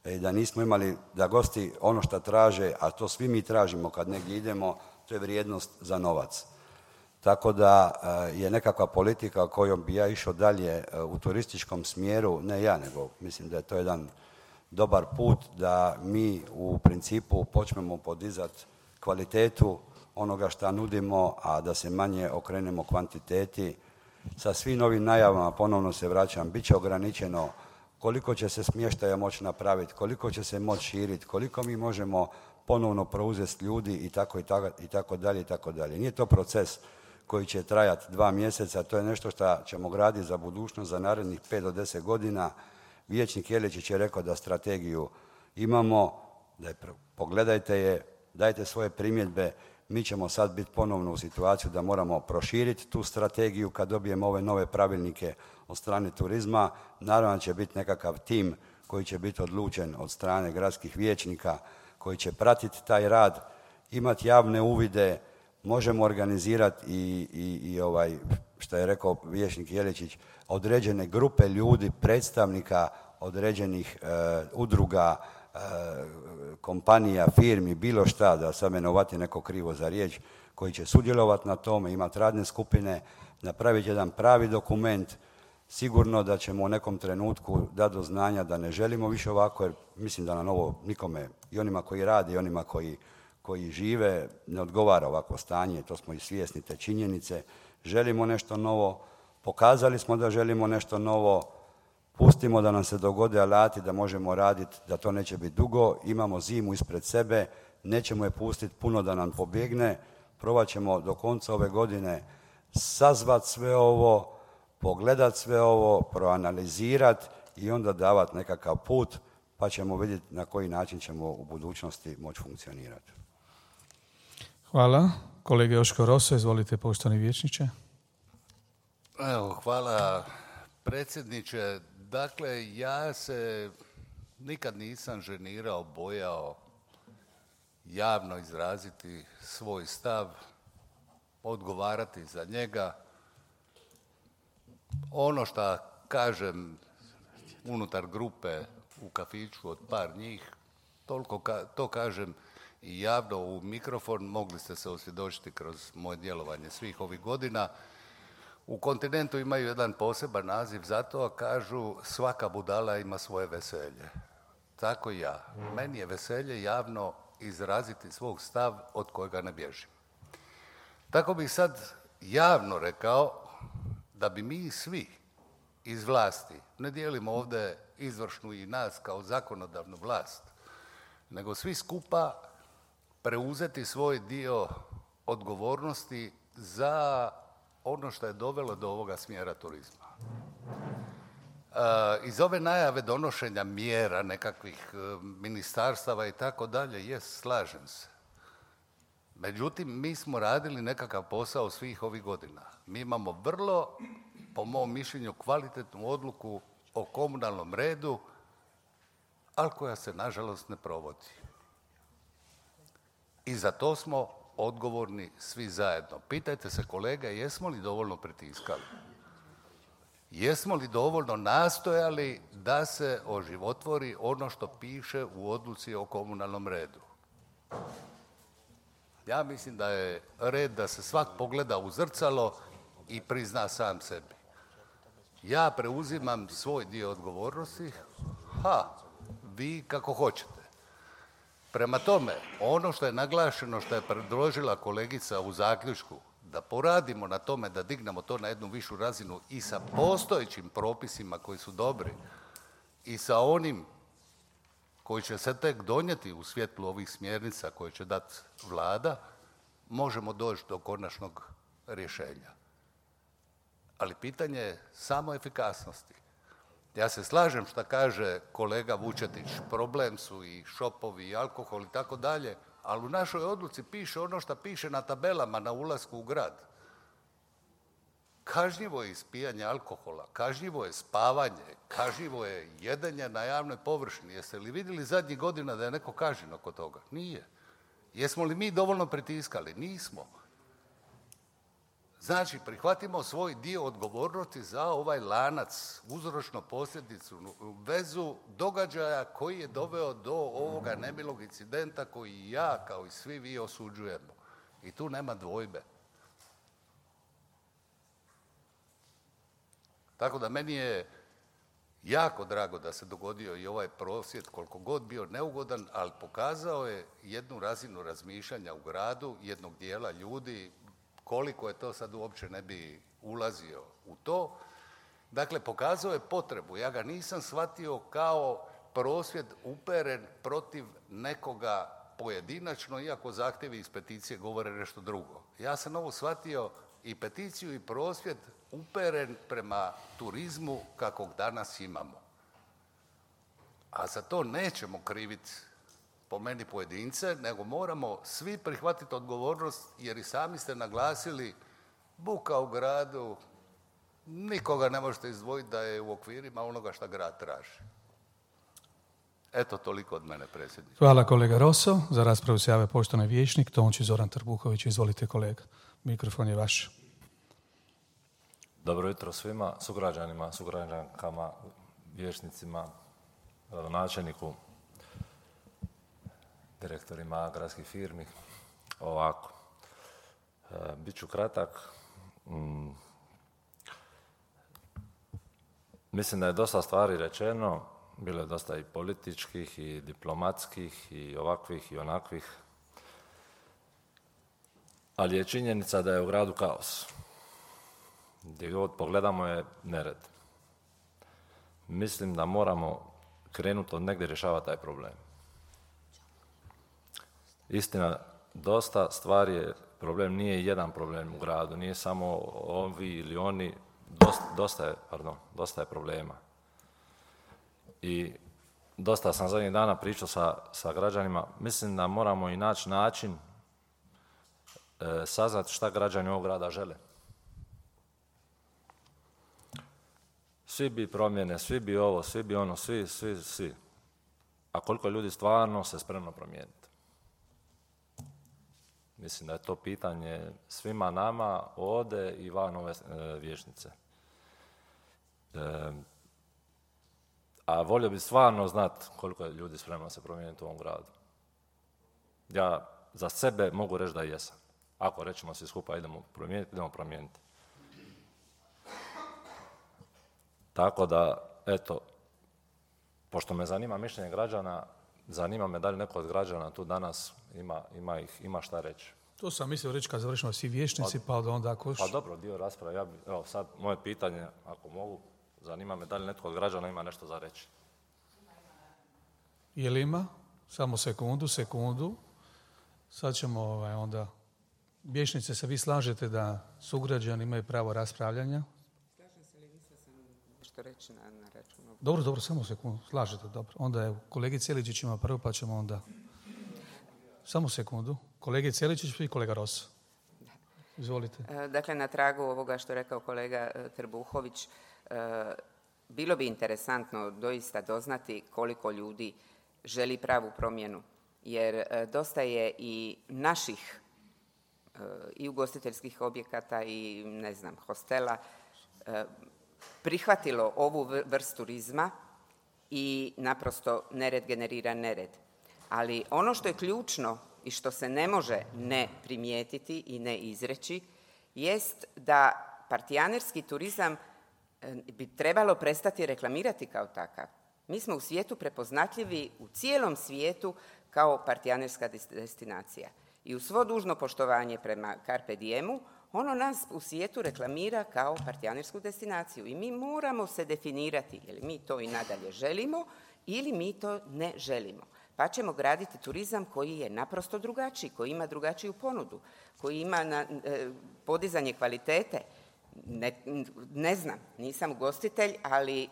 i da nismo imali, da gosti ono što traže, a to svi mi tražimo kad negdje idemo, to je vrijednost za novac. Tako da je nekakva politika kojom bi ja išao dalje u turističkom smjeru, ne ja, nego mislim da je to jedan dobar put da mi u principu počnemo podizati kvalitetu onoga što nudimo, a da se manje okrenemo kvantiteti. Sa svim novim najavama, ponovno se vraćam, bit će ograničeno koliko će se smještaja moći napraviti, koliko će se moći širiti, koliko mi možemo ponovno preuzeti ljudi i tako dalje. Nije to proces koji će trajati 2 mjeseca, to je nešto što ćemo graditi za budućnost, za narednih 5 do 10 godina. Vijećnik Jeličić je rekao da strategiju imamo, pogledajte je, dajte svoje primjedbe. Mi ćemo sad biti ponovno u situaciju da moramo proširiti tu strategiju kad dobijemo ove nove pravilnike od strane turizma. Naravno će biti nekakav tim koji će biti odlučen od strane gradskih vijećnika, koji će pratiti taj rad, imati javne uvide, možemo organizirati i što je rekao vijećnik Jeličić, određene grupe ljudi, predstavnika određenih udruga, kompanija, firmi, bilo šta, da sad me ne uvati neko krivo za riječ, koji će sudjelovati na tome, imati radne skupine, napraviti jedan pravi dokument. Sigurno da ćemo u nekom trenutku dati do znanja da ne želimo više ovako, jer mislim da nam ovo nikome, i onima koji rade i onima koji žive, ne odgovara ovako stanje, to smo i svjesni te činjenice. Želimo nešto novo, pokazali smo da želimo nešto novo, pustimo da nam se dogode alati da možemo raditi, da to neće biti dugo, imamo zimu ispred sebe, nećemo je pustiti puno da nam pobjegne, probat ćemo do konca ove godine sazvati sve ovo, pogledati sve ovo, proanalizirati i onda davati nekakav put, pa ćemo vidjeti na koji način ćemo u budućnosti moći funkcionirati. Hvala. Kolega Joško Roso, izvolite, poštovani vijećniče. Evo, hvala predsjedniče. Dakle, ja se nikad nisam ženirao, bojao javno izraziti svoj stav, odgovarati za njega. Ono što kažem unutar grupe u kafiću od par njih, to kažem i javno u mikrofon, mogli ste se osvjedočiti kroz moje djelovanje svih ovih godina. U kontinentu imaju jedan poseban naziv za to, kažu svaka budala ima svoje veselje. Tako i ja. Meni je veselje javno izraziti svog stav od kojega ne bježim. Tako bih sad javno rekao da bi mi svi iz vlasti, ne dijelimo ovdje izvršnu i nas kao zakonodavnu vlast, nego svi skupa preuzeti svoj dio odgovornosti za ono što je dovelo do ovoga smjera turizma. Iz ove najave donošenja mjera nekakvih ministarstava i tako dalje, slažem se. Međutim, mi smo radili nekakav posao svih ovih godina. Mi imamo vrlo, po mom mišljenju, kvalitetnu odluku o komunalnom redu, ali koja se, nažalost, ne provodi. I za to smo odgovorni svi zajedno. Pitajte se, kolege, jesmo li dovoljno pritiskali? Jesmo li dovoljno nastojali da se oživotvori ono što piše u odluci o komunalnom redu? Ja mislim da je red da se svak pogleda u zrcalo i prizna sam sebi. Ja preuzimam svoj dio odgovornosti, vi kako hoćete. Prema tome, ono što je naglašeno, što je predložila kolegica u zaključku, da poradimo na tome, da dignemo to na jednu višu razinu i sa postojećim propisima koji su dobri i sa onim koji će se tek donijeti u svjetlu ovih smjernica koje će dati vlada, možemo doći do konačnog rješenja. Ali pitanje je samo efikasnosti. Ja se slažem što kaže kolega Vučetić, problem su i šopovi i alkohol i tako dalje, ali u našoj odluci piše ono što piše na tabelama na ulasku u grad. Kažnjivo je ispijanje alkohola, kažnjivo je spavanje, kažnjivo je jedenje na javnoj površini. Jeste li vidjeli zadnjih godina da je neko kažnjen oko toga? Nije. Jesmo li mi dovoljno pritiskali? Nismo. Znači, prihvatimo svoj dio odgovornosti za ovaj lanac, uzročno-posljedicu, vezu događaja koji je doveo do ovoga nemilog incidenta koji ja, kao i svi vi, osuđujemo. I tu nema dvojbe. Tako da meni je jako drago da se dogodio i ovaj prosvjed, koliko god bio neugodan, ali pokazao je jednu razinu razmišljanja u gradu, jednog dijela ljudi. Koliko je to sad uopće ne bi ulazio u to. Dakle, pokazao je potrebu. Ja ga nisam shvatio kao prosvjed uperen protiv nekoga pojedinačno, iako zahtjevi iz peticije govore nešto drugo. Ja sam ovo shvatio i peticiju i prosvjed uperen prema turizmu kakvog danas imamo. A za to nećemo kriviti po meni pojedince, nego moramo svi prihvatiti odgovornost, jer i sami ste naglasili buka u gradu, nikoga ne možete izdvojiti da je u okvirima onoga što grad traži. Eto, toliko od mene, predsjedniče. Hvala kolega Roso. Za raspravu se jave poštovani vijećnik Tonči Zoran Trbuhović. Izvolite kolega, mikrofon je vaš. Dobro jutro svima, sugrađanima, sugrađankama, vijećnicima, gradonačelniku, direktorima gradskih firmi. Ovako, bit ću kratak. Mislim da je dosta stvari rečeno, bilo je dosta i političkih i diplomatskih i ovakvih i onakvih, ali je činjenica da je u gradu kaos. Gdje god pogledamo je nered. Mislim da moramo krenuti od negdje rješavati taj problem. Istina, dosta stvari je problem, nije jedan problem u gradu, nije samo ovi ili oni, dosta je problema. I dosta sam zadnjih dana pričao sa građanima, mislim da moramo i naći način saznati šta građani ovog grada žele. Svi bi promjene, svi bi ovo, svi bi ono, svi. A koliko ljudi stvarno se spremno promijeniti? Mislim da je to pitanje svima nama ovdje i van ove vijećnice. A volio bi stvarno znati koliko je ljudi spremno se promijeniti u ovom gradu. Ja za sebe mogu reći da jesam. Ako rećemo svi skupa idemo promijeniti. Tako da, eto, pošto me zanima mišljenje građana, zanima me da li neko od građana tu danas ima šta reći. To sam mislio reći kad završimo svi vijećnici, pa onda ako... Pa dobro, dio rasprave. Evo sad, moje pitanje, ako mogu, zanima me da li netko od građana ima nešto za reći. Je li ima? Samo sekundu. Sad ćemo onda... Vijećnice, se vi slažete da sugrađani imaju pravo raspravljanja? Slažem se li vi sa što reći na računu? Dobro, samo sekundu. Slažete, dobro. Onda je kolegi Celičić ima prvo, pa ćemo onda... Samo sekundu. Kolege Celičić i kolega Rosa. Izvolite. Dakle, na tragu ovoga što je rekao kolega Trbuhović, bilo bi interesantno doista doznati koliko ljudi želi pravu promjenu, jer dosta je i naših i ugostiteljskih objekata i, hostela prihvatilo ovu vrstu turizma i naprosto nered generira nered. Ali ono što je ključno i što se ne može ne primijetiti i ne izreći jest da partijanerski turizam bi trebalo prestati reklamirati kao takav. Mi smo u svijetu prepoznatljivi u cijelom svijetu kao partijanerska destinacija. I uz svo dužno poštovanje prema Carpe Diemu, ono nas u svijetu reklamira kao partijanersku destinaciju. I mi moramo se definirati, je li mi to i nadalje želimo ili mi to ne želimo. pa ćemo graditi turizam koji je naprosto drugačiji, koji ima drugačiju ponudu, koji ima podizanje kvalitete. Ne znam, nisam ugostitelj, ali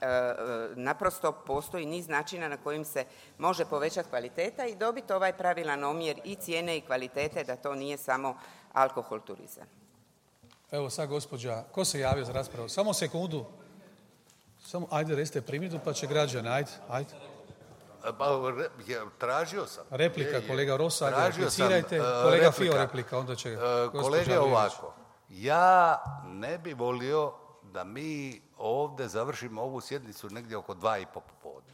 naprosto postoji niz načina na kojim se može povećati kvaliteta i dobiti ovaj pravilan omjer i cijene i kvalitete, da to nije samo alkohol turizam. Evo sad gospođa, ko se javio za raspravu? Samo sekundu. Ajde, recite primjedbu pa će građani, ajde. Tražio sam. Replika, kolega Rosa, replicirajte. Kolega Fio, replika, onda će kolege, ovako. Ja ne bi volio da mi ovdje završimo ovu sjednicu negdje oko 2:30 popodne.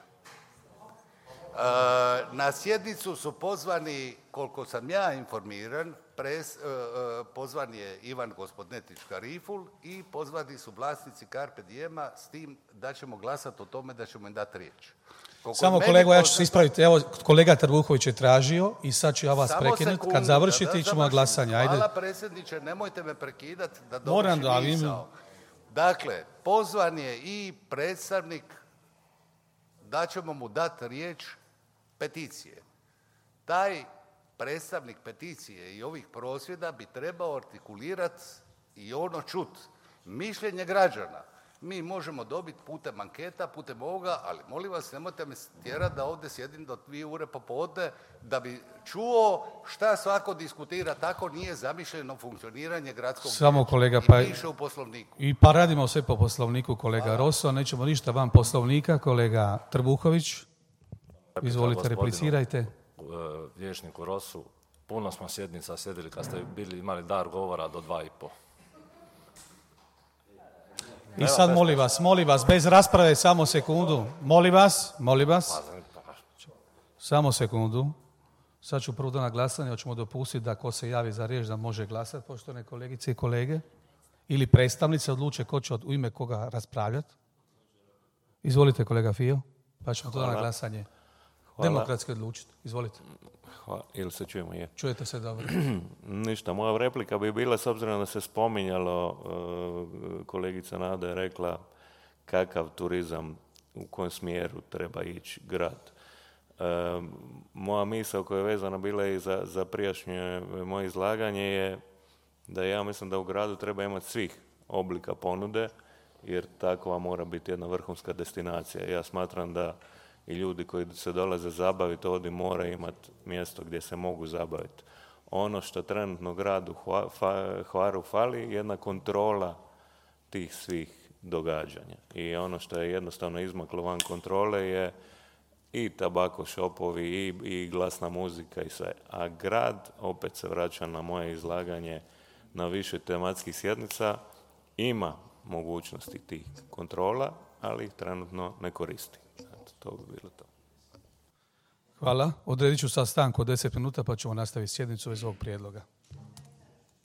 Na sjednicu su pozvani, koliko sam ja informiran, pozvan je Ivan Gospodnetić Kariful i pozvani su vlasnici Carpe Diema, s tim da ćemo glasati o tome da ćemo im dati riječ. Samo kolego, ja ću se ispraviti. Evo, kolega Trbuhović je tražio i sad ću ja vas prekinuti. Kad završite, ićemo na glasanje. Ajde. Hvala predsjedniče, nemojte me prekidati da dovršim misao. Dakle, pozvan je i predstavnik, da ćemo mu dati riječ, peticije. Taj predstavnik peticije i ovih prosvjeda bi trebao artikulirati i ono čut mišljenje građana. Mi možemo dobiti putem anketa, putem ovoga, ali molim vas, nemojte me tjerati da ovdje sjedim do 2:00 popodne da bi čuo šta svako diskutira. Tako nije zamišljeno funkcioniranje gradskog samo kolega, i piše u poslovniku. Pa radimo sve po poslovniku, kolega Rosso, nećemo ništa van poslovnika. Kolega Trbuhović, izvolite, replicirajte. Vijećniku Rosu, puno smo sjednica sjedili kad ste imali dar govora do 2:30. I sad molim vas, bez rasprave, samo sekundu. Molim vas. Samo sekundu. Sad ću prvo na glasanje, hoćemo dopustiti da ko se javi za riječ da može glasati, poštovane kolegice i kolege. Ili predstavnice odluče ko će u ime koga raspravljati. Izvolite, kolega Fio, pa ćemo to na glasanje. Demokratski odlučiti. Izvolite. Hvala. Ili se čujemo? Je. Čujete se dobro. Ništa, moja replika bi bila, s obzirom da se spominjalo, kolegica Nada je rekla kakav turizam, u kojem smjeru treba ići grad. Moja misao koja je vezana bila i za prijašnje moje izlaganje je da ja mislim da u gradu treba imati svih oblika ponude, jer takva mora biti jedna vrhunska destinacija. Ja smatram da i ljudi koji se dolaze zabaviti ovdje moraju imati mjesto gdje se mogu zabaviti. Ono što trenutno gradu Hvaru fali je jedna kontrola tih svih događanja. I ono što je jednostavno izmaklo van kontrole je i tabako šopovi i glasna muzika i sve. A grad, opet se vraća na moje izlaganje, na više tematskih sjednica, ima mogućnosti tih kontrola, ali ih trenutno ne koristi. To bi bilo to. Hvala. Odredit ću sad stanku od 10 minuta pa ćemo nastaviti sjednicu bez ovog prijedloga.